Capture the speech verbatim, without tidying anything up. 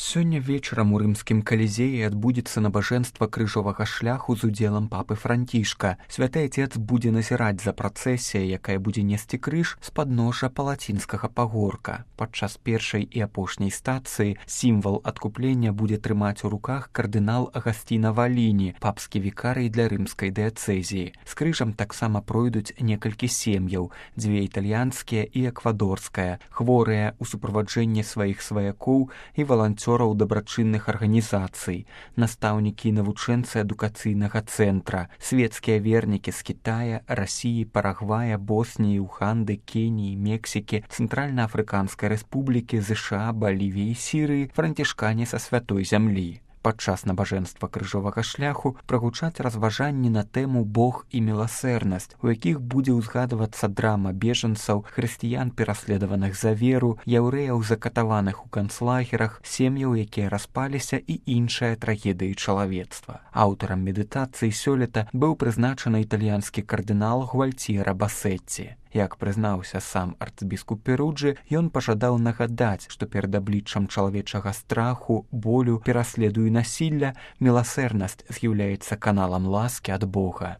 Сёння вечарам у рымскім калізеі адбудзецца набажэнства крыжовага шляху з удзелам папы Францішка. Святы Отец будзе назіраць за працэсіяй, якая будзе несці крыж з падножжа палацінскага пагорка. Падчас першай і апошняй стацыі сімвал адкуплення будзе трымаць у руках кардынал Агасціна Валіні, папскі вікарый для рымскай дыяцэзіі. З крыжам таксама пройдуць некалькі сем'яў, дзве італьянскія і эквадорская, хворыя ў суправаджэнні сваіх сваякоў і валанцёраў дабрачынных арганізацый, настаўнікі і навучэнцы адукацыйнага цэнтра, светскія вернікі з Кітая, Расіі, Парагвая, Босніі, Уганды, Кеніі, Мексікі, Цэнтральна-Афрыканскай рэспублікі, ЗША, Балівіі, Сірыі, францішкане са святой зямлі. Падчас набажэнства крыжовага шляху прагучаць разважанні на тэму Бог і міласэрнасць, у якіх будзе ўзгадвацца драма бежанцаў, хрысціян пераследаваных за веру, яўрэяў закатаваных у канцлагерах, сем'яў, якія распаліся і іншыя трагедыі чалавецтва. Аўтарам медытацыі сёлета быў прызначаны італьянскі кардынал Гуальціера Басетці. Як прызнаўся сам арцыбіскуп Перуджы, ён пажадаў нагадаць, што перад абліччам чалавечага страху, болю, пераследу і насілля міласэрнасць з'яўляецца каналам ласкі ад Бога.